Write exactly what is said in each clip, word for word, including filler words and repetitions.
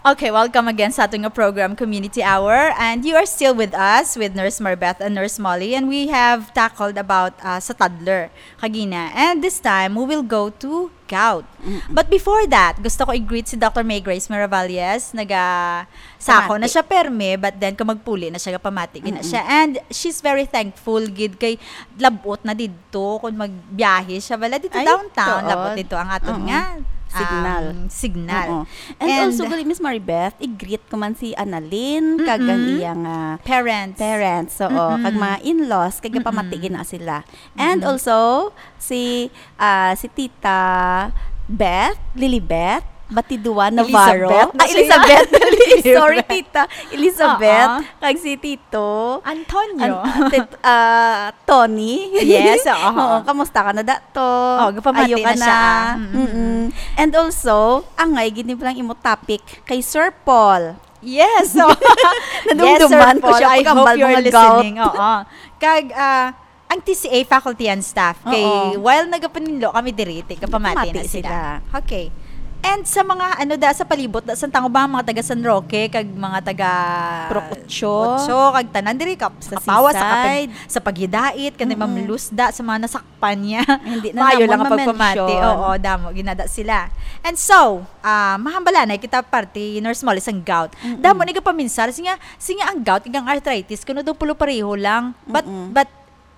Okay, welcome again sa ating program, Community Hour. And you are still with us, with Nurse Maribeth and Nurse Molly. And we have tackled about uh, sa toddler kagina. And this time, we will go to gout. But before that, gusto ko i-greet si Doctor May Grace Miravalles. Naga, sako na Pamati. Siya perme, but then kung magpuli na siya, kapamati gina siya. And she's very thankful gid kay labot na didto kung magbiyahe siya. Wala dito Ay, downtown, tuod. Labot dito ang aton Oo. Nga, um, Signal. Signal. Oo. And And also, gali, Miss Maribeth, i-greet ko man si Annalyn, kag ang Mm-mm. Iyang, ah, Parents. Parents, oo, Mm-mm. Kag mga in-laws, kag Mm-mm. Pamati gina sila. And Mm-mm. Also, si, ah, si Tita Beth, Lilibeth, Batidua Navarro. Elizabeth na Ah, siya. Elizabeth. Sorry, Tita. Elizabeth. Oo. Kag si Tito. Antonio. An-, tit-, ah, Tony. Yes, oo. Oo, kamusta ka na, Dato? Oh, gapamati Ayo ka na siya. Na. Mm-mm. Mm-mm. And also, angay gid ni lang imo topic kay Sir Paul. Yes, so, Nadumduman yes, Sir ko Paul, siya I pag hope ambal you're mga gout. Listening. Oo. Kag, ah, ang T C A faculty and staff, kay Oo. While nagapaninlo kami diri, ti, kapamati Pamati na sila. Sila. Okay. And sa mga, ano da, sa palibot da, sa tango ba, mga taga San Roque, kag mga taga Purok Otso. Otso, kag tanan diri, kap-, Sa kapawa, sa kapag-, Seaside. Sa paghidait, kanang Mm-mm. Mamlusda, sa mga nasakpan niya. Hindi na Maayo namon lang ang pagpamati. Ma-mention. Oo, damo, ginada sila. And so, ah, mahambalanay kita parte, Nurse Molly, sang gout. Mm-mm. Damo ni gapaminsar, siya, siya ang gout, kag ang arthritis, kuno daw pulo pareho lang. But, Mm-mm. but,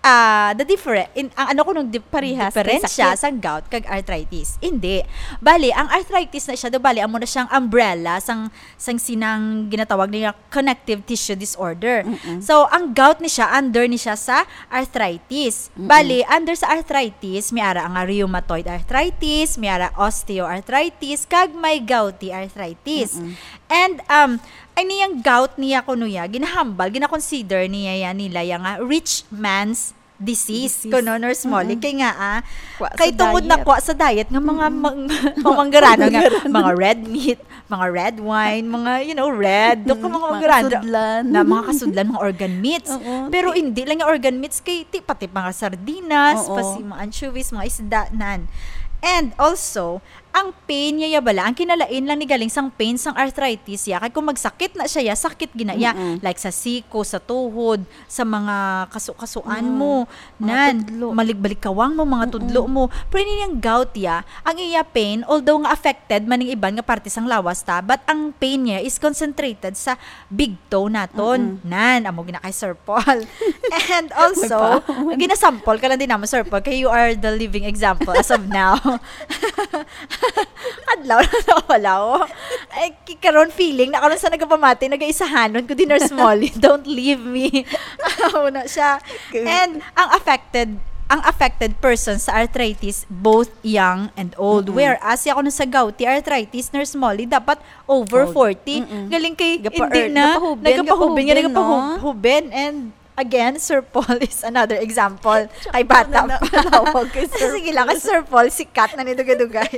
ah, the different, in, ang ano ko nung dif-, Parehas kay diferensya sakit. Sang gout kag arthritis. Hindi. Bali, ang arthritis na siya, do bali, amo na siyang umbrella, sang, sang sinang ginatawag niya connective tissue disorder. Mm-mm. So, ang gout ni siya, under ni siya sa arthritis. Mm-mm. Bali, under sa arthritis, may ara nga rheumatoid arthritis, may ara osteoarthritis, kag may gouty arthritis. Mm-mm. And, um, ay niyang gout niya kuno ya, ginahambal, ginakonsider niya yan nila yang, ah, rich man's disease, Disease. Kuno, Nurse Molly. Mm-mm. Kay nga, ah, Wa sa kay tungod na diet. Kwa sa diet nga mga Mm-mm. mang-, mga manggarano nga, Manggarano. Mga red meat, mga red wine, mga, you know, red, do ka Mm, mga mga manggarano, kasudlan. Na mga kasudlan, mga organ meats. Oo, Pero ti- hindi lang yung organ meats, kay ti-, pati mga sardinas, Oo. Pati mga anchovies, mga isda, nan. And also, ang pain niya ya bala, ang kinalain lang ni galing sang pain sang arthritis ya, kay kung magsakit na siya ya, sakit gina ya, Mm-mm. Like sa siko, sa tuhod, sa mga kasu-kasuan Mm. mo, Mga nan, tudlo. Maligbalikawang mo, mga Mm-mm. Tudlo mo. Pero ini ang gout ya, ang iya pain, although nga affected man ning iban nga parte sang lawas ta, but ang pain niya is concentrated sa big toe naton. Mm-mm. Nan, amo gina kay Sir Paul. And also, May pa. Ginasample ka lang din naman, Sir Paul, kay you are the living example as of now. Adlaw na wala, oh. Ay, ki-, karon feeling na karon sa nagapamati, nagaisahanon ko din, Nurse Molly, "Don't leave me." Amo na siya. Good. And ang affected, ang affected person sa arthritis, both young and old. Mm-mm. Whereas, ya kuno sa gouty arthritis, Nurse Molly, dapat over Old. Forty. Mm-mm. Galing kay, Gapa-, hindi er, na, gapahubin, nagapahubin, nga gapahubin, no? Nagapahub-, hubin, and again, Sir Paul is another example. Kay bata na, pa. Natawag kay Sir Sige lang, Paul. Kay Sir Paul, sikat na ni dugay-dugay.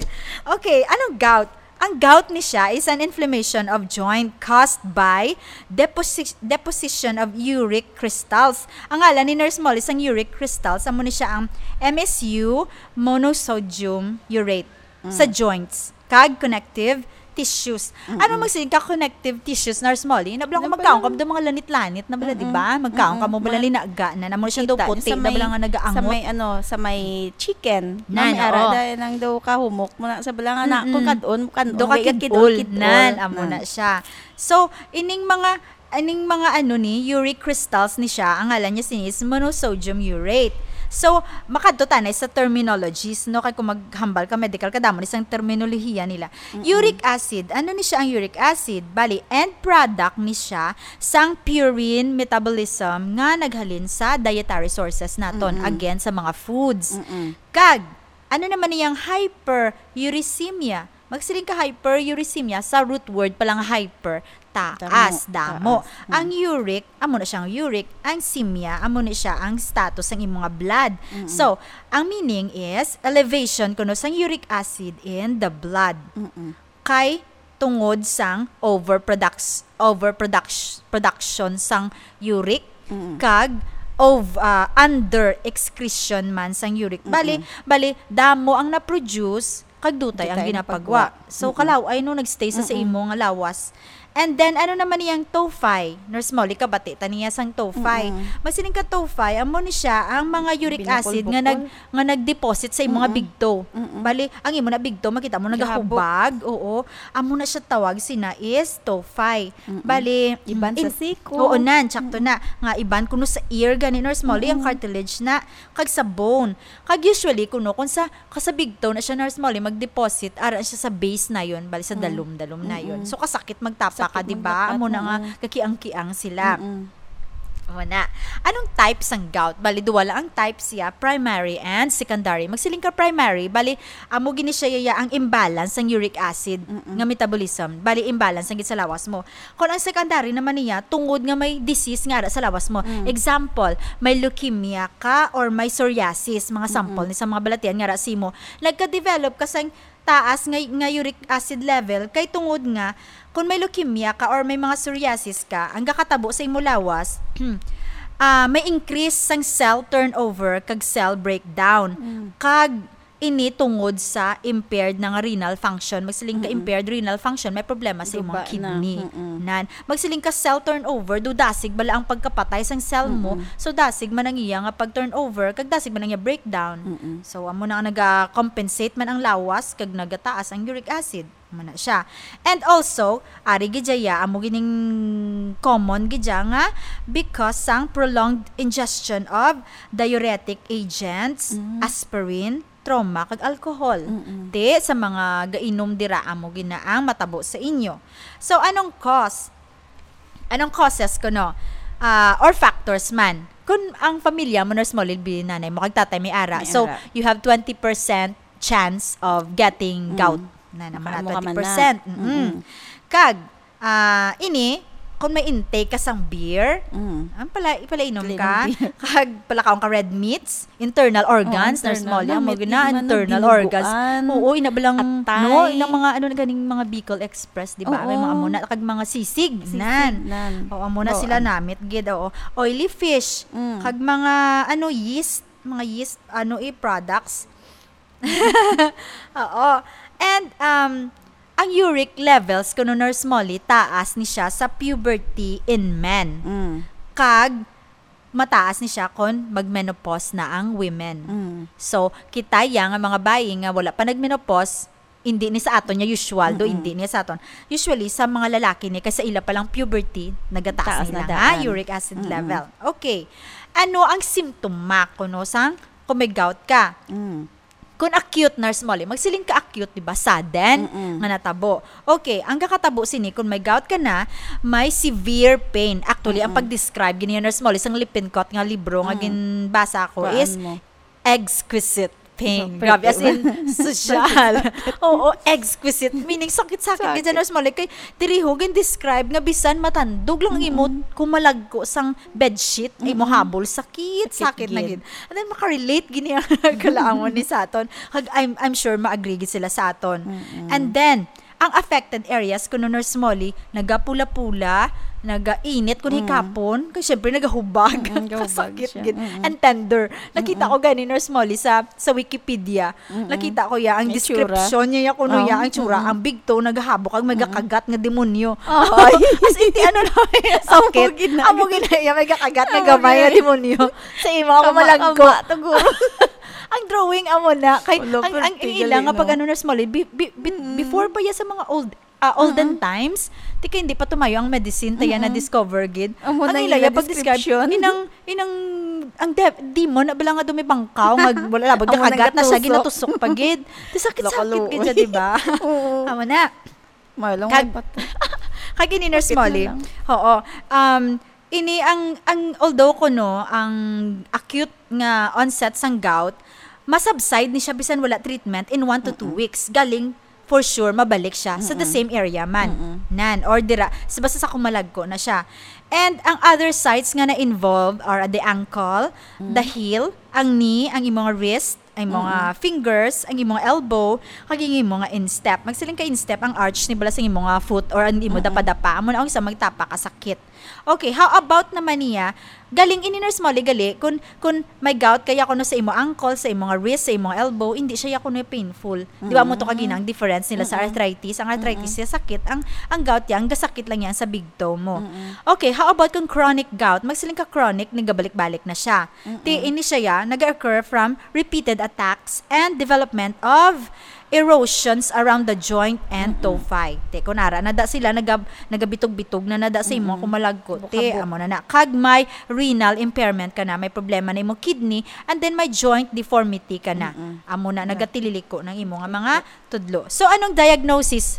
Okay, anong gout? Ang gout ni siya is an inflammation of joint caused by deposi-, deposition of uric crystals. Ang ngalan ni Nurse Molly sang uric crystals, amo ni siya ang M S U monosodium urate sa Mm. joints kag connective tissues. Mm-mm. Ano magsigig ka connective tissues, Nurse Molly? Na bala kung Nabala. Magkaon ka mo mga lanit-lanit na bala, di ba? Mm-mm. Magkaon ka mo Mm-mm. bala Ma-, linaga na, na mo siya daw kita, puti, sa na bala may, nga nagaangot. Sa may, ano, sa may chicken. Nan, na may ara, oo. Dahil nang daw kahumok mo na, sa bala nga na, Mm-mm. Kung kadon, kan-, Do ka kung kidul, kidul, kidul. Nan, amo Nan. Na siya. So, ining mga, ining mga ano ni, uric crystals ni siya, ang ngalan niya sini is monosodium urate. So, makadto tanay sa terminologies, no? Kay kung maghambal ka medical, kadamo ni sang terminolohiya nila. Mm-mm. Uric acid, ano ni siya ang uric acid? Bali, end product ni siya sang purine metabolism nga naghalin sa dietary sources naton, Mm-mm. Again, sa mga foods. Mm-mm. Kag, ano naman niyang hyperuricemia? Magsiling ka hyperuricemia, sa root word pa lang hyper, taas, Damo, damo. Taas. Mm. Ang uric, amo na siyang uric. Ang semia, amo na siya ang status ng imong blood. Mm-mm. So, ang meaning is, elevation kuno sang uric acid in the blood. Mm-mm. Kay tungod sang overproducts-, overproduct-, production sang uric, Mm-mm. Kag of, ah, under excretion man sang uric. Bali, Mm-mm. Bali, damo ang na-produce, kag dutay ang ginapagwa. So, kalaway, no, nag-stay sa, sa imo nga lawas. And then, ano naman niyang TOFI? Nurse Molly, kabati ta niya sang TOFI. Magsiling ka, TOFI, amo ni siya ang mga uric acid nga nag-, nga nag-deposit sa imo nga bigto. Bali, ang imo na bigto, makita mo, nagahubag. Oo. Amo na siya tawag, sina is TOFI. Bali, iban sa siko. Oo, nan, sakto na. Nga iban kuno sa ear, gani, Nurse Molly, ang cartilage na, kag sa bone. Kag usually, kuno, kung sa, kung sa bigto na siya, Nurse Molly, mag-deposit, ara siya sa base na yun, bali sa dalom-dalom na yun. So, kasakit magtapa ka, di ba? Amo na nga, kakiang-kiang sila. Amo na. Anong type sang gout? Bali, duwa lang ang type siya, primary and secondary. Magsiling ka primary, bali, amo gini siya, ya, ang imbalance sang uric acid nga metabolism. Bali, imbalance ang gid sa lawas mo. Kung ang secondary naman niya, tungod nga may disease nga ara sa lawas mo. Example, may leukemia ka or may psoriasis, mga sample ni sa mga balatian nga ara sa imo. Nagka-develop ka sang taas nga, nga uric acid level kay tungod nga kung may leukemia ka or may mga psoriasis ka, ang gakatabo sa imo lawas, ah, may increase sang cell turnover kag cell breakdown. Kag ini tungod sa impaired na nga renal function. Magsiling ka impaired renal function, may problema sa imong kidney. Nan. Magsiling ka cell turnover, do dasig bala ang pagkapatay sang cell mo. So, dasig man ang iya nga pag-turnover, kag dasig man ang iya breakdown. So, amo na nga naga-compensate man ang lawas, kag nagataas ang uric acid. Amo na siya. And also, ari gid ya, amo gining common gid ya nga because sang prolonged ingestion of diuretic agents, aspirin, trauma, kag alcohol. Ti, sa mga gainom dira, amo gid na ang matabo sa inyo. So, anong cause? Anong causes kuno? Ah, or factors man? Kung ang pamilya mo, Nurse Molly, bi nanay mo, kag tatay may ara. So, you have twenty percent chance of getting gout. Na naman na, twenty percent. Kag, ah, ini, kung may intake ka sang beer, ang pala, ipalainom ka, kag palakaon ka red meats, internal organs, Nurse Molly, amo gid na, internal organs. Oo, ina ba lang, no, inang mga, ano, ganing mga Bicol Express, di ba? May mga amo na, kag mga sisig, nan. Oo, amo na sila namit gid, oo. Oily fish, kag mga, ano, yeast, mga yeast, ano, eh, products. Oo. And, um, ang uric levels, kuno, Nurse Molly, taas ni siya sa puberty in men. Kag mataas ni siya kon mag-menopause na ang women. So, kita ya nga mga bayi nga wala pa nag-menopause, hindi ni sa aton niya usual, do hindi niya sa aton. Usually, sa mga lalaki ni, kay sa ila pa lang puberty, nagataas nila nga uric acid level. Okay. Ano ang simptoma kuno sang kung may gout ka? Kung acute, Nurse Molly, magsiling ka acute, di ba? Sudden nga natabo. Okay, ang kakatabo sini, kung may gout ka na, may severe pain. Actually, ang pag-describe gini, Nurse Molly, sang Lippincott nga libro nga ginbasa ko is exquisite pain. Grabe, as in, sosyal. Oo, exquisite. Meaning, sakit-sakit gid, Nurse Molly. Kay, diri ho, gin-describe nga bisan matandog lang ang imo kumalagko sang bedsheet, imo habol, sakit, sakit na gid. And then, makarelate gini ang kalaangon ni sa aton. Kag I'm, I'm sure ma-agree gid sila sa aton. And then, ang affected areas, kuno, Nurse Molly, nagapula-pula, nagainit kun hikapon, kay syempre nagahubag. Kasakit gid. And tender. Nakita ko gani, Nurse Molly, sa, sa Wikipedia. Nakita ko ya ang description niya, ya kuno ya ang tsura, ang bigto, nagahabo kag may gakagat nga demonyo. Ay. As in, ti, ano na, sakit. Amo gid na ya, may gakagat nga gamay nga demonyo. Sa imo, ako malagko. Ang drawing amo na kay ang, ang ila nga pag ano, Nurse Molly, bi-, bi-, bi-, before pa ya sa mga old, ah, olden times, ti kay hindi pa tumayo ang medicine, ta ya na-discover gid. Ang ila ya pag-describe, inang, inang, ang de-, demon na bala nga dumibangkaw, nga wala labot, gakagat na siya, ginatusok pa gid. Ti sakit-sakit gid siya, di ba? Amo na. Kag, kag ini, Nurse Molly. Oo. Um, Ini ang, ang, although kuno ang acute nga onset sang gout, masubside ni siya bisan wala treatment in one to two weeks. Galing, for sure, mabalik siya sa the same area man. Nan, or dira, sa, basta sa kumalagko na siya. And ang other sites nga na-involved are the ankle, the heel, ang knee, ang imong wrist, Ang imo nga fingers, ang imo nga elbow, kag ang imo nga instep. Magsiling ka instep, ang arch ni bala sa imo nga foot or ang imo Mm-mm. dapadapa. Amo na ang isa magtapa ka sakit. Okay, how about naman niya? Galing ini, Nurse Molly, gali, kun, kun may gout kaya kuno sa imo ankle, sa imo nga wrist, sa imo nga elbow, hindi siya ya kuno painful. Di ba mo to Mm-mm. kagina ang difference nila sa Mm-mm. arthritis? Ang arthritis Mm-mm. siya sakit, ang, ang gout ya, ang gasakit lang yan sa big toe mo. Mm-mm. Okay, how about kung chronic gout? Magsiling ka chronic, nagabalik-balik na siya. Ti Mm-mm. ini siya ya, nag-occur from repeated attacks and development of erosions around the joint and Mm-mm. tophi. Ti kunara, nada sila, nagab-, nagabitog-bitog na nada sa imo Mm-mm. kumalagko. Ti, Bukabok. amo na na. Kag may renal impairment ka na, may problema na imo kidney, and then may joint deformity ka na. Mm-mm. Amo na, Yeah. nagatililiko ng imo nga mga tudlo. So, anong diagnosis?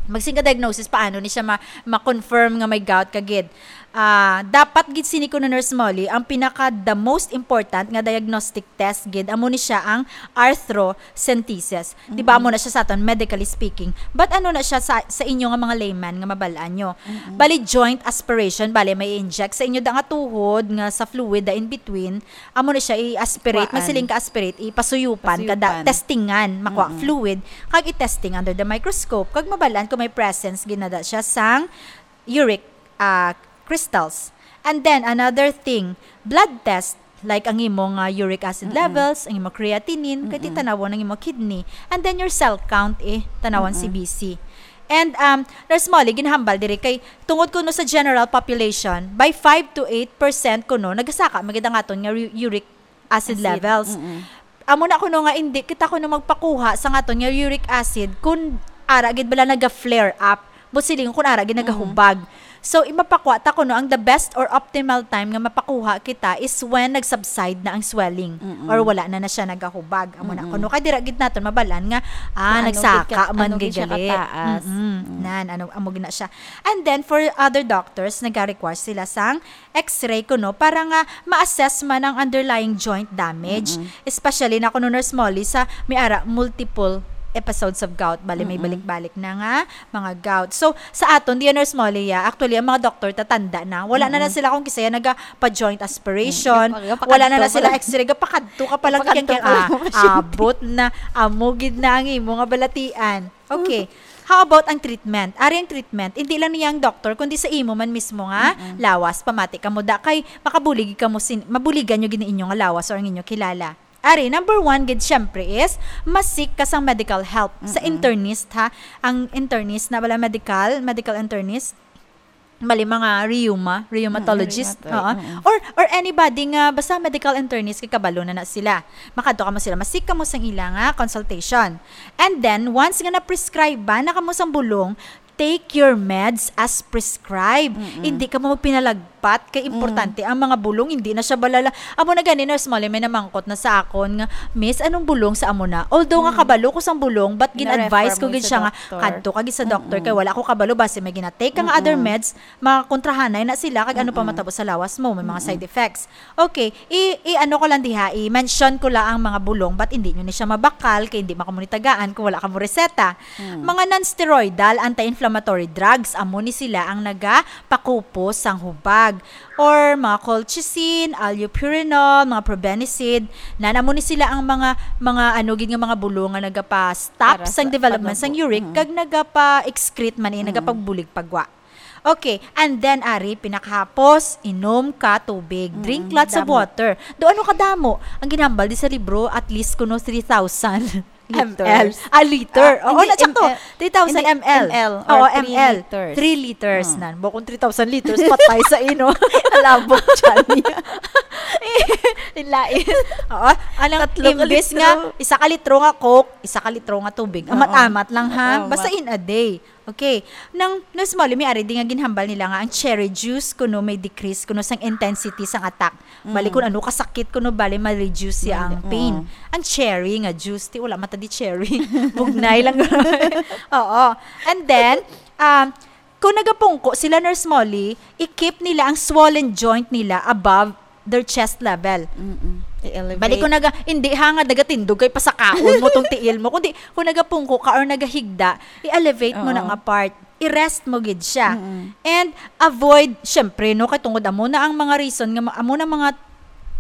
Magsiling ka diagnosis, paano ni siya ma-, ma-confirm nga may gout ka gid? Ah, dapat gid sini kuno, Nurse Molly, ang pinaka the most important nga diagnostic test gid, amo ni siya ang arthrocentesis. Di ba, Mm-mm. amo na siya sa aton, medically speaking. But ano na siya sa, sa inyo nga mga layman nga mabal-an nyo? Mm-mm. Bali, joint aspiration, bali, may inject sa inyo da nga tuhod nga sa fluid da in between, amo na siya i-aspirate, Kuhaan. magsiling ka aspirate, ipasuyupan, kada Pasuyupan. testingan, makuha Mm-mm. fluid, kag i-testing under the microscope, kag mabal-an kung may presence ginada siya sang uric, ah, crystals. And then, another thing, blood test, like ang imo nga uric acid Mm-mm. levels, ang imo creatinine, kay Mm-mm. titanawon ang imo kidney. And then, your cell count, eh, tanawon Mm-mm. C B C. And, um, Nurse Molly, ginahambal diri kay tungod kuno sa general population, by five to eight percent kuno, nagasaka man gid ang aton nga u-, uric acid Acid, levels. mm-mm. Amo na kuno nga hindi kita kuno magpakuha sa aton nga uric acid kung ara gid bala naga-flare up. But siling kung ara gid Mm-mm. nagahubag. So, imapakuha ta kuno ang the best or optimal time nga mapakuha kita is when nag-subside na ang swelling Mm-mm. or wala na na siya nagahubag. Amo na Mm-mm. kuno kay dira gid naton mabalan nga, ah, Kung ano nagsaka gid ka, man ano gid siya gid gali. kataas. Mm-mm. Mm. Nan, ano, amo gid na siya. And then, for other doctors, nag-require sila sang X-ray kuno para nga ma-assess man ang underlying joint damage. Mm-mm. Especially na kuno, Nurse Molly, sa may ara multiple episodes of gout, bali may Mm-mm. balik-balik na nga mga gout. So, sa aton, diya, Nurse Molly, ya, actually, ang mga doktor tatanda na. Wala na na Mm-mm. sila kung kisaya nagapa-joint aspiration. Mm, gapa-, gapakadto Wala na na sila pala. X-ray. Gapakadto ka pa lang Gapakadto kaya pa lang ang pasyente. Abot na, amo gid na ang imo nga balatian. Okay. How about ang treatment? Ari ang treatment, hindi lang niya ang doktor, kundi sa imo man mismo nga Mm-mm. lawas. Pamati ka mo da kay makabulig ka mo sin-, mabuligan nyo gid ang inyo nga lawas or ang inyo kilala. Ari, number one gid, syempre, is ma-seek ka sang medical help sa Mm-mm. internist, ha? Ang internist na bala medical, medical internist, bali, mga rheuma, rheumatologist, Mm, rheumatoid, oo. Mm. Or, or anybody nga basta medical internist kay kabalo na na sila. Makadto ka mo sila, ma-seek ka mo sang ila nga consultation. And then, once nga na-prescribe ba na kamo sang bulong, take your meds as prescribed. Mm-mm. Hindi ka mo magpinalagpat kay Mm. importante ang mga bulong, hindi na siya balala. Amo na gani, Nurse Molly, may namangkot na sa akon nga, "Miss, anong bulong sa amo na?" Although nga Mm. kabalo ko sang bulong, but Na-refer gin-advise ko mo gid sa siya nga, doktor. "Kadto ka gid sa doktor, Mm-mm. kay wala ko kabalo, basi may gina-take kang other Mm-mm. meds, makontrahanay na sila, kag ano pa Mm-mm. matabo sa lawas mo, may mga Mm-mm. side effects." Okay, i, i ano ko lang diha, i-mention ko lang ang mga bulong, but hindi nyo ni siya mabakal, kay hindi man kamo ni tagaan kung wala kamo reseta. Mm. Mga non-steroidal anti-inflammatory drugs, amo ni sila ang nagapakupos sang hubag. Or mga colchicine, allopurinol, mga probenecid, nan amo ni sila ang mga, mga ano gid nga mga bulong nga nagapa-stop Para sang sa development sang pagnubo. Uric, Mm. kag nagapa-excrete man, eh, Mm. nagapagbulig pagwa. Okay, and then, ari, pinakahapos, inom ka tubig. Mm, Drink lots of damo. water. Do ano kadamo? Ang ginhambal di sa libro, at least kuno three thousand M L. Liters. Ah, liter. Ah, Oo, hindi, na, sakto. M L. Three thousand Hindi, M L. M L, Oo, or three M L. liters. Three liters Hmm. nan. Bukon three thousand liters, patay sa ino. Alabok dyan niya. Lain. Oo, anong Tatlo ka imbis litro. nga, isa ka litro nga Coke, isa ka litro nga tubig. Oo. Amat-amat lang, ha? Amat. Basta in a day. Okay. Nang, Nurse Molly, may ari di nga ginhambal nila nga ang cherry juice kuno may decrease kuno sang intensity sang attack. Bali, Mm. kung ano kasakit kuno, bali, ma-reduce siya Mali-, ang pain. oo. Ang cherry nga juice, ti wala mata di cherry. Bugnay lang. Oo. And then, um, kung nagapungko sila, Nurse Molly, i-keep nila ang swollen joint nila above their chest level. Mm-mm. I-elevate. Bali, kung naga-, hindi ha nga nagatindog kay pasakaon mo tong tiil mo, kundi kung nagapungko ka or nagahigda, i-elevate mo na Oo. nga part. I-rest mo gid siya. Mm-mm. And avoid, syempre, no, kay tungod amo na ang mga reason nga ma-, amo na mga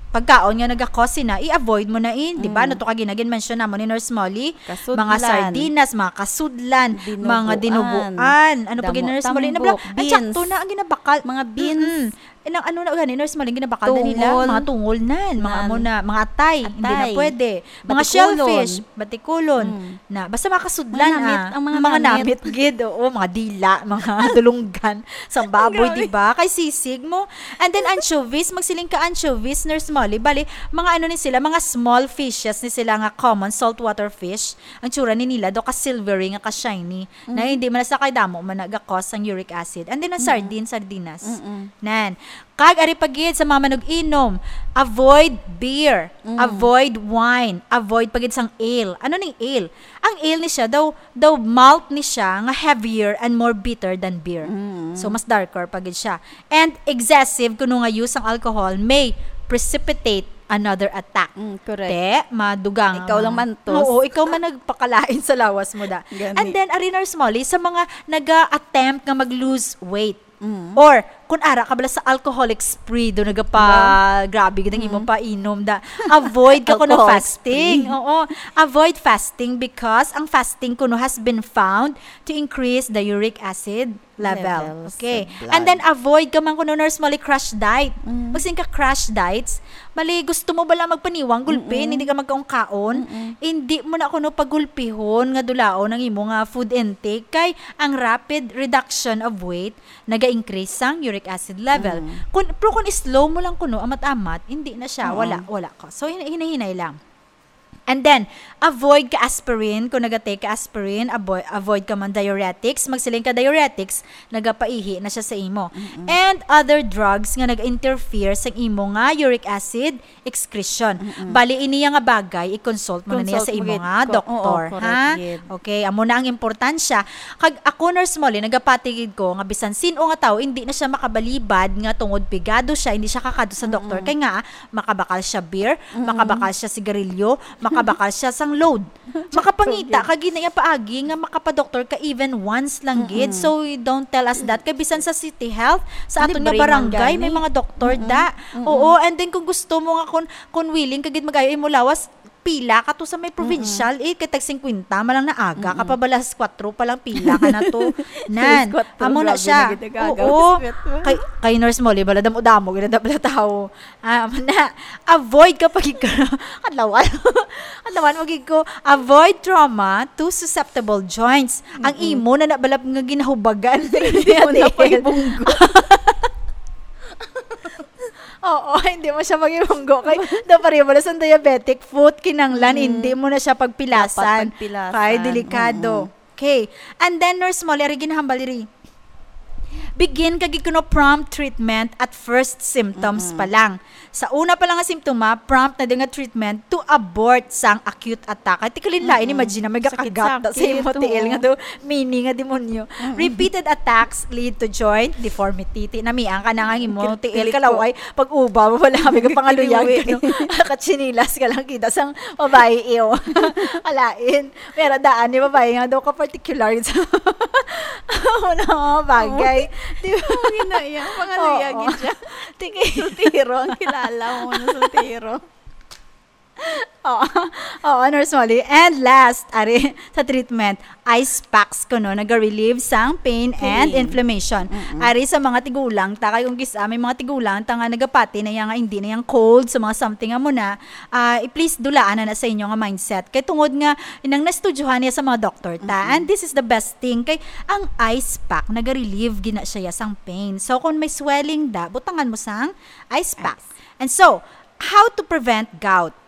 pagkaon nga naga-cause na, i-avoid mo na in, di ba? Mm. Ano to ka ginagin-mention namo ni Nurse Molly? Kasudlan. Mga sardinas, mga kasudlan, mga dinuguan. Dinuguan. Ano pa gid, Nurse Molly? Tambok, beans. Nabla-, ay, sakto na ang ginabakal. Mga beans. Mm-mm. Eh, nang ano na gani, Nurse Molly, ginabakal na nila? Tungol. Mga tungol nan, mga amo na, mga atay, hindi na pwede. Mga shellfish, batikulon. Mm. Na, basta mga kasudlan, ah. Mga namit, ang mga namit. Mga namit gid, oo, mga dila, mga dulunggan, sang baboy, di ba? Kay sisig mo. And then anchovies, magsiling ka anchovies, Nurse Molly. Bali, mga ano ni sila, mga small fishes ni sila nga common saltwater fish. Ang tsura ni nila, daw ka silvery nga ka shiny. Na hindi man sa kay damo man naga-cause ang uric acid. And then ang sardine, sardinas. Mm-mm. Nan. Kag ari pa gid sa mga manug-inom, avoid beer, avoid wine, avoid pa gid sang ale. Ano ning ale? Ang ale ni siya daw, daw malt ni siya nga heavier and more bitter than beer. Mm. So, mas darker pa gid siya. And excessive kuno nga use sang alcohol may precipitate another attack. Mm, correct. Te, madugang. Ikaw lang man tos. Oo, ikaw man nagpakalain sa lawas mo da. Gani. And then, ari, Nurse Molly, sa mga naga-attempt nga mag-lose weight, Mm. Or, kung ara ka bala sa alcoholic spree, do nagapa-, grabe gid ang imo painom da. Avoid ka kuno fasting. Alcohol spree. Oo. Avoid fasting because ang fasting kuno has been found to increase the uric acid level. Levels of blood. Okay. And then avoid ka man kuno, Nurse Molly, crash diet. Mm. Magsiling ka crash diets, bali gusto mo bala magpaniwang gulpi, hindi ka magkaon-kaon, hindi mo na kuno pagulpihon nga dulaon ang imo nga food intake kay ang rapid reduction of weight naga-increase sang uric acid level. Mm. Kun, pero kung slow mo lang kuno, amat-amat, hindi na siya, wala, wala ka. So, hin-, hinay-hinay lang. And then, avoid ka aspirin. Kung naga-take ka aspirin, avoid, avoid ka man diuretics. Magsiling ka diuretics, nagapaihi na siya sa imo. Mm-mm. And other drugs nga nag-interfere sa imo nga uric acid excretion. Mm-mm. Bali, iniya nga bagay, i-consult mo na niya sa imo nga doktor, ha? Consult mo gid ko. Oo, correct gid. Okay, amo na ang importansya. Kag ako, Nurse Molly, nagapati gid ko nga bisan sin-o nga tawo, hindi na siya makabalibad nga tungod pigado siya, hindi siya kakadto sa doktor. Mm-mm. Kay nga, makabakal siya beer, mm-mm, makabakal siya sigarilyo, makabakal siya sang load. Makapangita ka gid na iya paagi nga makapadoktor ka even once lang gid. Mm-mm. So, don't tell us that. Kay bisan sa City Health, sa aton nga barangay, may mga doktor da. Libre man gani. Mm-mm. Oo, and then kung gusto mo nga, kung, kung willing ka gid mag-ayo imo lawas, pila ka to sa may provincial, eh, kay tag singkwenta man lang na aga ka pa, balas kwatro pa lang pila ka na to. Nan, amo na siya. Grabe na gid ang aga. Oo. Kay, kay Nurse Molly, bala damo-damo gid na bala tawo. Ah, amo na. Avoid ka pag-, adlawan. Adlawan mo gid ko. Avoid trauma to susceptible joints. Ang imo na nabalap nga ginahubagan. Hindi mo na pag-ibunggo. Oo, hindi mo siya pag-ibunggo. Kay, daw pareho mo na sa diabetic foot, kinanglan, hindi mo na siya pagpilasan. Dapat pagpilasan. Kay delikado. Mm-mm. Okay. And then, Nurse Molly, ari ginahambal diri. Begin ka gid kuno prompt treatment at first symptoms pa lang. Sa una pa lang nga simptoma, prompt na din nga treatment to abort sang acute attack. Ay, ti kalinlain, imagine na may gakagat sa imo tiil nga to, mini nga demonyo. Repeated attacks lead to joint deformity. Ti, namiang ka na nga imo tiil, kalaway, pag-uba mo pala, may kapangaluyan ka, no? Katsinilas ka lang, kita sang babae, iyo. Alain. Pero daan ni babae nga daw ka particular sa mga bagay. Oo. Di ba? Oo, ginaya. Pangaluya gid siya. Sultiro, ang kilala mo na sultiro. Oo. Oo, Nurse Molly. And last, ari, sa treatment, ice packs kuno, naga-relieve sang pain and inflammation. Pain. Mm-mm. Ari sa mga tigulang, ta, kay kung kis-a, may mga tigulang, ta nga nagapati na yang, hindi na yang cold, sa mga something amo na, ah, i-, please, dulaan na na sa inyo nga mindset. Kay tungod nga, inang naestudyohan niya sa mga doktor ta. Mm-mm. And this is the best thing. Kay ang ice pack, naga-relieve gina siya sang pain. So, kung may swelling da, butangan mo sang ice pack. Ice. And so, how to prevent gout?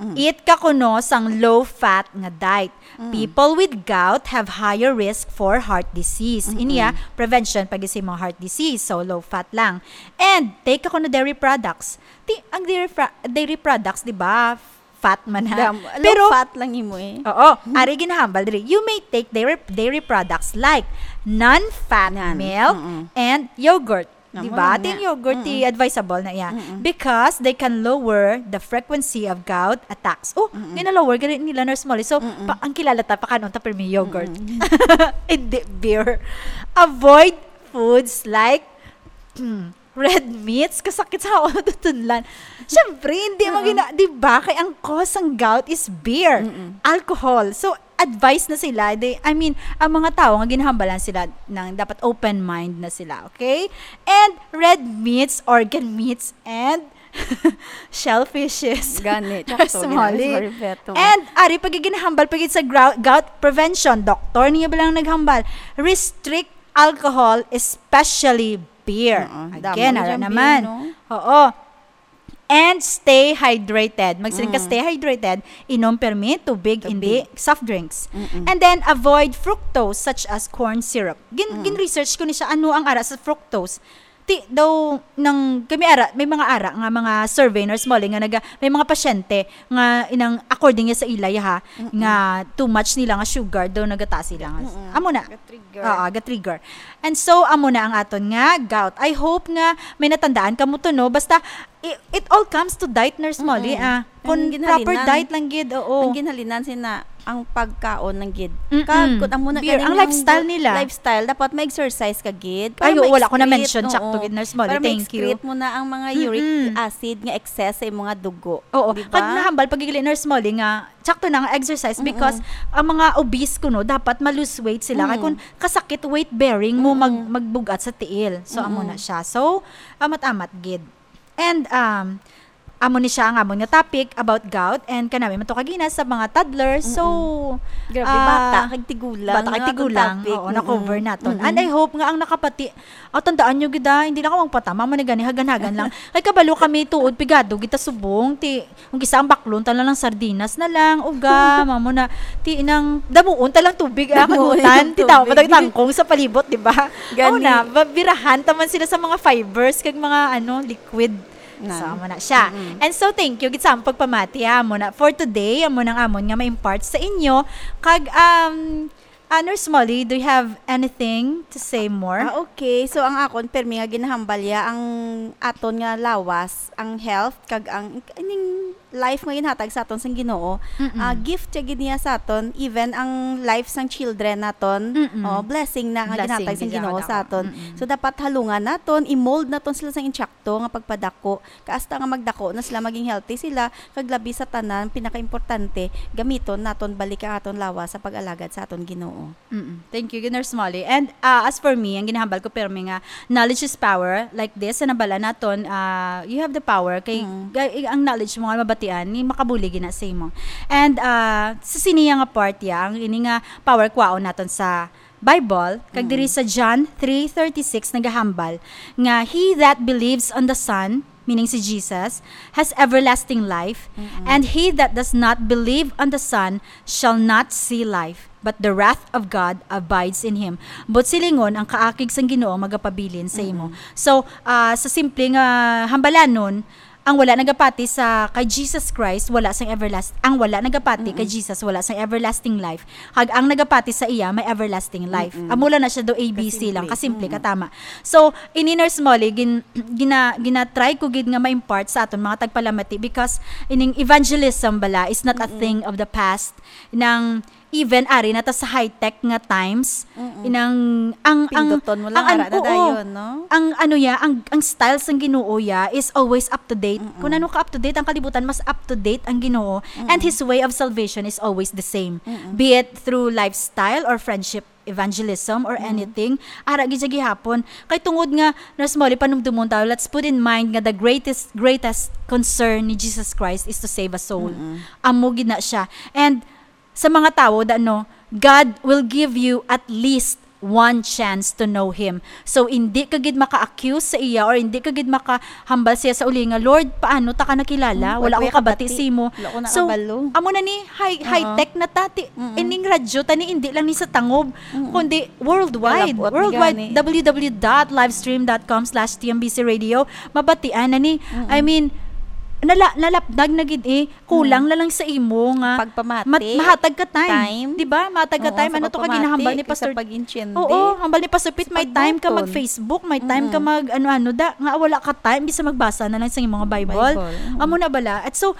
Mm. Eat ka kuno sang low-fat nga diet. Mm. People with gout have higher risk for heart disease. Mm-mm. Iniya, prevention pag sa mga heart disease. So, low-fat lang. And take ka kuno dairy products. Ti-, ang dairy fra-, dairy products, di ba? Fat man, ha? Dam-, low fat lang imo eh. Pero, oo, ari ginahambal diri. You may take dairy, dairy products like non-fat milk and yogurt. Di ba? Amo na. Ti ang yogurt, ti advisable na iya. Mm-mm. Because they can lower the frequency of gout attacks. Oh, gina-lower gani nila, Nurse Molly. So, pa-, ang kilala ta, pakanon ta pirmi yogurt. Mm-mm. Hindi, beer. Avoid foods like, hmm, Red meats, kasakit sa ulo, tutunlan. Siyempre, hindi mo Oo. gina-, di ba? Kay ang cause ng gout is beer, Mm-mm. alcohol. So, advice na sila. They, I mean, ang mga tao nga ginahambalan sila ng dapat open mind na sila, okay? And red meats, organ meats, and shellfishes. Gani, tsakto, Small. Gani, sorry, Beto. And, ari, pag ginahambal, pag sa grou-, gout prevention, doktor niya ba lang naghambal? Restrict alcohol, especially beer. Oo, damo Again, na ara siyang naman. Beer, no? Oo. And stay hydrated. Magsiling ka, Mm. stay hydrated, inom permi tubig, Tubig. hindi soft drinks. Mm-mm. And then, avoid fructose, such as corn syrup. Gin-, Mm. gin-research ko ni siya, ano ang ara sa fructose. Ti, daw, nang, kami ara, may mga ara nga mga survey, Nurse Molly, nga naga-, may mga pasyente nga inang, according niya sa ila, ha, Mm-mm. nga too much nila nga sugar, daw nagataas sila nga. Mm-mm. Amo na. Ga-trigger. Oo, ga-trigger. And so, amo na ang aton nga gout. I hope nga may natandaan kamo to, no? Basta, i-, it all comes to diet, Nurse Molly, Mm-mm. ah. Ang Kung proper ginhalinan. diet lang gid, oo. Ang ginhalinan sina ang pagkaon lang gid. Mm-mm. Kag kung amo na Beer, gani ang ang lifestyle nila. lifestyle, dapat ma-exercise ka gid. Para Ay, oo, wala ko ma-excrete, na-mention, oo. sakto gid, Nurse Molly. Para Thank you. ma-excrete mo na ang mga uric Mm-mm. acid nga excess sa imong mga dugo. Oo. Di Kag ba? nahambal, pag igili, Nurse Molly, nga sakto na nga exercise Mm-mm. because ang mga obese kuno, dapat ma-lose weight sila. Kay Mm. kung kasakit, weight bearing mo mag-, Mm-mm. magbugat sa tiil. So, amo Mm-mm. na siya. So, amat-amat gid. And, um, amo ni siya ang amon nga topic about gout and kanami man to kagina sa mga toddlers. So, Mm-mm. Grabe, ah, bata kag tigulang, bata kag no, atong tigulang. topic. Oo, Mm-mm. na-cover naton. Mm-mm. And I hope nga ang nakapati, aw, tandaan nyo gid, ah, hindi na ka magpatama, mo na gani, hagan-hagan lang. Kay kabalo kami, tuod, pigado, kita subong, ti, kung kisa ang baklon, ta lang sardinas na lang, uga, mamo na, ti, inang, damuon ta lang tubig, ah, Damuon kagutan, ang ti, tao, tubig. matagtangkong sa palibot, di ba? Gani. Aw na, ba-, birahan ta man sila sa mga fibers, kag mga, ano, liquid. Na. So, amo na siya. Mm-mm. And so, thank you gid sa among pagpamati, ha, amo na. For today, amo nang amon nga ma-impart sa inyo. Kag, um, ah, Nurse Molly, do you have anything to say more? Ah, okay. So, ang akon, permi nga ginahambal ya ang aton nga lawas, ang health, kag ang ining life nga ginhatag sa aton sang Ginoo. Mm-mm. Ah, gift siya gid niya sa aton, even ang life sang children naton. Mm-mm. Oh, blessing na nga Blessing ginhatag sang gid siya Ginoo kada sa aton. Mm-mm. So, dapat halungan naton, i-mold naton sila sang insakto nga pagpadako. Kay hasta nga magdako na sila, maging healthy sila, kag labi sa tanan, pinakaimportante, gamiton naton balik ang aton lawas sa pag-alagad sa aton Ginoo. Mm-mm. Thank you, Nurse Molly. And, ah, as for me, ang ginahambal ko, permi nga, knowledge is power. Like this, sa nabala naton, ah, you have the power. Kay, Mm. kay ang knowledge mo nga mabatian, ni makabulig na sa imo. And, ah, sa siniya nga part, ya, ang ini nga power kwaon naton sa Bible, kag Mm. diri sa John three thirty-six nagahambal nga, "He that believes on the Son," meaning si Jesus, "has everlasting life, Mm-mm. and he that does not believe on the Son shall not see life, but the wrath of God abides in him." But silingon, ang kaakig sang Ginoo magapabilin sa imo. Mm-mm. So, ah, sa simple nga hambalanon, ang wala nagapati sa kay Jesus Christ, wala sang everlast-, ang wala nagapati kay Mm-mm. Jesus, wala sang everlasting life. Kag ang nagapati sa iya, may everlasting life. Mm-mm. Amo lang na siya do A B C lang, Kasimple. kasimple, Mm-mm. katama. So, ini Nurse Molly, gin-, gina-, gina-try ko gid nga ma-impart sa aton mga tagpalamati because ining evangelism bala is not a Mm-mm. thing of the past. Nang even ari na ta sa high-tech nga times, Mm-mm. inang, ang, ang, Pinduton mo lang, ang, ara na oo, dayon, no? ang ano ya, ang, ang style sang Ginoo ya is always up to date. Mm-mm. Kung ano ka up to date, ang kalibutan mas up to date ang Ginoo. And Mm-mm. His way of salvation is always the same. Mm-mm. Be it through lifestyle or friendship, evangelism or Mm. anything, ara gid siya gihapon. Kay tungod nga, Nurse Molly, panumdumon tayo, let's put in mind nga the greatest, greatest concern ni Jesus Christ is to save a soul. Mm-mm. Amo gid na siya. And sa mga tawo, da, no, God will give you at least one chance to know Him. So, hindi ka gid maka-accuse sa iya or hindi ka gid makahambal siya sa uli nga, "Lord, paano ta ka nakilala? Hmm, Wala wala ko ko kabati kabati. sa imo." Wala ko So, nakabalo. amo na ni, high, Oo. high-tech na ta. Ti-, Mm-mm. ining radyo ta ni, hindi lang ni sa Tangob, Mm-mm. kundi worldwide. Lalab-ot ni Worldwide, gani. W W W dot livestream dot com slash T M B C radio. Mabatian na ni. Mm-mm. I mean, nala-, nalapdag na gid eh. Kulang Mm. na lang sa imo nga Pagpamati. mat-, mahatag ka time. Time. Di ba? Mahatag ka Oo, time. sa Ano to ka pagpamati, ginahambal ni kay sa Pastor? pag-intiende. Oo, hambal ni Pastor Pete, Sa may time ka pagbuton. mag-Facebook, may time ka Mm-mm. mag ano-ano da, nga wala ka time, bisa magbasa na lang sa imong Bible. Bible, mm. Amo na bala. At so,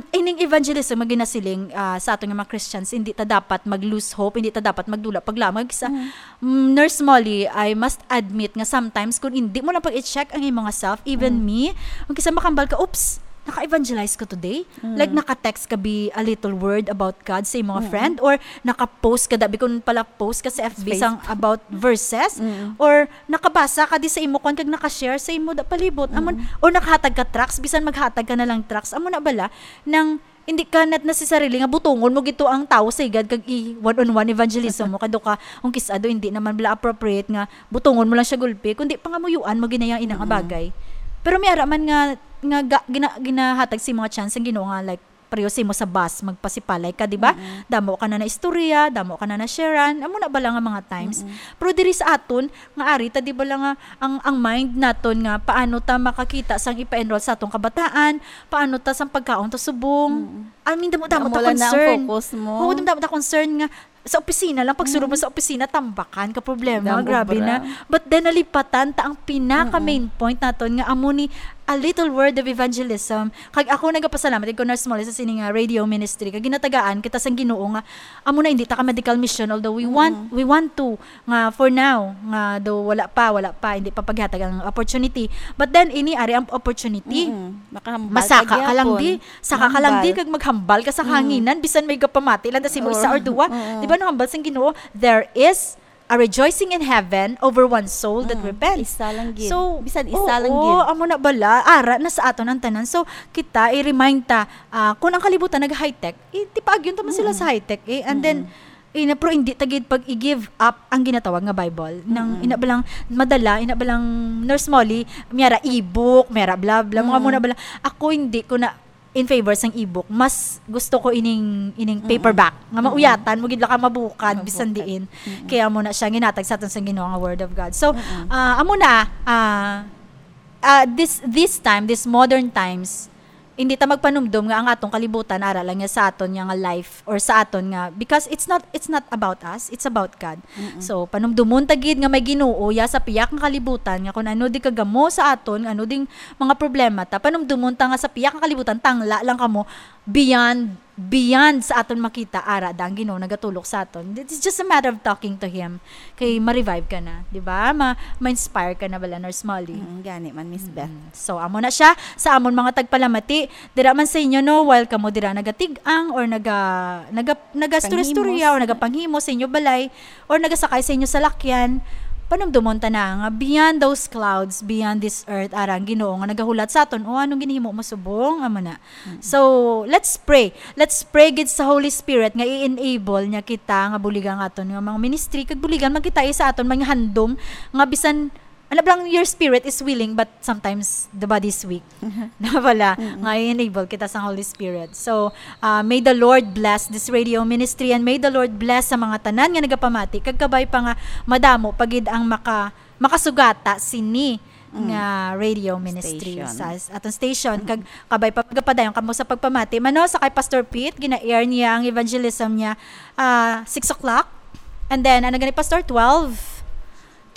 Ining evangelism nga ginasiling, ah, sa aton nga mga Christians, hindi ta dapat mag-lose hope, hindi ta dapat magdula paglamag sa, Mm. mm, Nurse Molly, I must admit nga sometimes kung hindi mo lang pag-i-check ang imong self, even Mm. me, kung kisa makambal ka, "Oops, naka-evangelize ko today." Mm. Like, naka-text ka bi a little word about God sa imong mga Mm. friend, or naka-post ka, dabi kung pala post ka sa F B Facebook. Sang about verses, Mm. or nakabasa ka di sa imo kwan kag naka-share sa imo da palibot. Amo, Mm. or nakahatag ka tracts, bisan maghatag ka na lang tracts. Amo na bala, nang hindi ka not necessarily nga butongon mo gito ang tawo sa higad kag i one-on-one evangelism mo. Kado ka, kung kis-a do, hindi naman bala appropriate nga butongon mo lang siya gulpi, kundi pangamuyuan mo ginaya ina nga Mm. bagay. Pero may ara man nga, nga ga-, gina-, ginahatag si mga chance ang Ginoo nga, like, pareho sa imo sa bus, magpasipalay ka, di ba? Mm. Damo ka na na istorya, damo ka na na sharean, amo na bala nga mga times. Mm. Pero diri sa aton, nga ari ta, di bala nga ang, ang mind naton nga paano ta makakita sang ipa-enroll sa atong kabataan, paano ta sang pagkaon ta subong. Mm. I mean, damo-damo Amo ta lang na ang concern. Focus mo. Oo, damo-damo ta concern nga sa opisina lang, pag sulod mo Mm. sa opisina, tambakan ka problema, Damo grabe obra. na. But then, nalipatan ta ang pinaka Mm-mm. main point naton nga amo ni a little word of evangelism. Kag ako nagapasalamat ko, Nurse Molly, sa sini nga radio ministry, kag ginatagaan kita sang Ginoo nga amo na, hindi ta ka medical mission, although we want, Mm-mm. we want to, nga for now, nga do wala pa, wala pa, hindi pa paghatag ang opportunity. But then, ini ari ang opportunity. Mm-mm. Makahambal Masaka ka ka lang gyapon. di, saka ka lang di, Mahambal. kag maghambal ka sa Mm. hanginan, bisan may gapamati lang, tas imo isa Oo. or duwa. Oo. Di ba, no, hambal sang Ginoo, "There is a rejoicing in heaven over one soul that Mm. repents." Isa lang gid. So, Bisan isa lang oo, gid. amo na bala, ara na sa aton ang tanan. So, kita, i-remind ta, ah, kung ang kalibutan nag-high-tech, eh, di paagyon ta man sila Mm. sa high-tech, eh. And then, Mm. ina, pero hindi ta gid pag i-give up ang ginatawag nga Bible. Nang Mm. ina balang madala, ina balang Nurse Molly, may ara ebook, may ara bla bla, mga Mm. muna bala. Ako hindi ko na in favor sang ebook. Mas gusto ko ining, ining Mm-mm. paperback. Nga Mm-mm. mauyatan mo gid lang ka mabukad, bisan Mabukad. diin. Mm-mm. Kaya mo na siya ginatag sa aton sang Ginoo nga Word of God. So, Mm-mm. ah, amo na, ah, ah, this, this time, this modern times, hindi ta magpanumdom nga ang atong kalibutan ara lang nga sa aton nga, nga life or sa aton nga, because it's not, it's not about us, it's about God. Mm-mm. So, panumdumon ta gid nga may Ginoo ya sa pihak nga kalibutan, nga kung ano di kagamo sa aton, nga ano ding mga problema ta, panumdumon ta nga sa pihak nga kalibutan, tangla lang kamo beyond, beyond sa aton makita, ara da ang Ginoo nagatulok sa aton. It's just a matter of talking to Him. Kay ma-revive ka na, di ba? Ma-, ma-inspire ka na bala, Nurse Molly. Mm, gani man, Miss Beth. Mm. So, amo na siya. Sa amon mga tagpalamati, dira man sa inyo, no, while kamo dira nagatig-ang or naga-, naga-, nagastorya-storya Panghimos. or nagapanghimo sa inyo balay or nagasakay sa inyo salakyan, panumdumon ta na nga beyond those clouds, beyond this earth, ara ang Ginoo nga nagahulat sa aton, "O, anong ginhimo mo subong?" Amo na. Mm. So, let's pray. Let's pray gid sa Holy Spirit nga i-enable niya kita nga buligan ang aton nga mga ministry, kag buligan man kita, eh, sa aton mga handom nga bisan, ano ba lang, your spirit is willing, but sometimes the body is weak. Na wala, Mm-mm. nga i-enable kita sa Holy Spirit. So, ah, may the Lord bless this radio ministry, and may the Lord bless sa mga tanan nga nagapamati, kag kabay pa nga madamo pa gid ang maka-, makasugata sini Mm. nga radio ministry Station. sa s-, aton station. Mm-mm. Kag kabay pa magapadayon kamo sa pagpamati. Mano, sa kay Pastor Pete, gina-air niya ang evangelism niya, ah, six o'clock. And then, ano gani, Pastor? Twelve?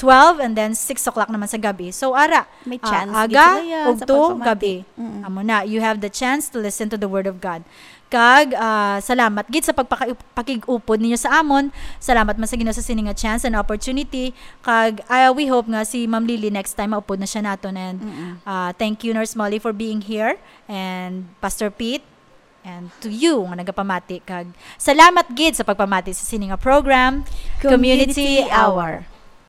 Twelve, and then six o'clock naman sa gabi. So, ara, May ah, chance gid aga, sila, ya, sa ugto, pagpamati. gabi. Mm-mm. Amo na, you have the chance to listen to the Word of God. Kag, ah, salamat gid sa pagpaka-, pakig-upod ninyo sa amon. Salamat man sa Ginoo sa sini nga chance and opportunity. Kag, ah, we hope nga si Ma'am Lily next time maupod na siya naton. And, Mm-mm. ah, thank you, Nurse Molly, for being here. And Pastor Pete, and to you nga nagapamati. Kag salamat gid sa pagpamati sa sini nga program, Community Community Hour. Hour.